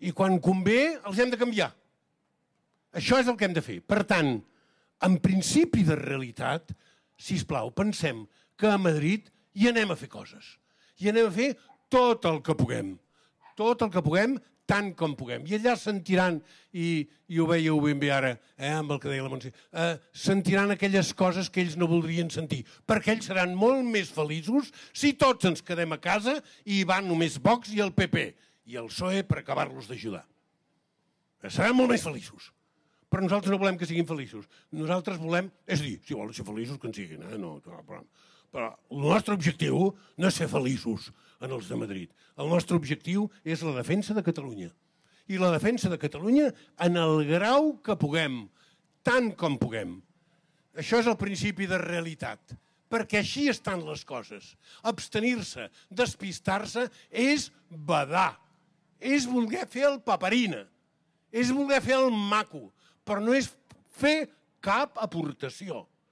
I quan convé els hem de canviar. Això és el que hem de fer. Per tant, en principi de realitat, sisplau, pensem que a Madrid hi anem a fer coses. Hi anem a fer tot el que puguem. Tot el que puguem, tant com puguem. I allà sentiran, i ho veieu ben bé ara, amb el que deia la Montse, sentiran aquelles coses que ells no voldrien sentir, perquè ells seran molt més feliços si tots ens quedem a casa i hi van només Vox i el PP i el PSOE per acabar-los d'ajudar. Seran molt més feliços. Però nosaltres no volem que siguin feliços. Nosaltres volem, és a dir, si volen ser feliços, que en siguin. Però el nostre objectiu no és ser feliços en els de Madrid. El nostre objectiu és la defensa de Catalunya. I la defensa de Catalunya en el grau que puguem, tant com puguem. Això és el principi de realitat, perquè així estan les coses. Abstenir-se, despistar-se, és badar. És voler fer el paperina. És voler fer el maco, però no és fer cap aportació.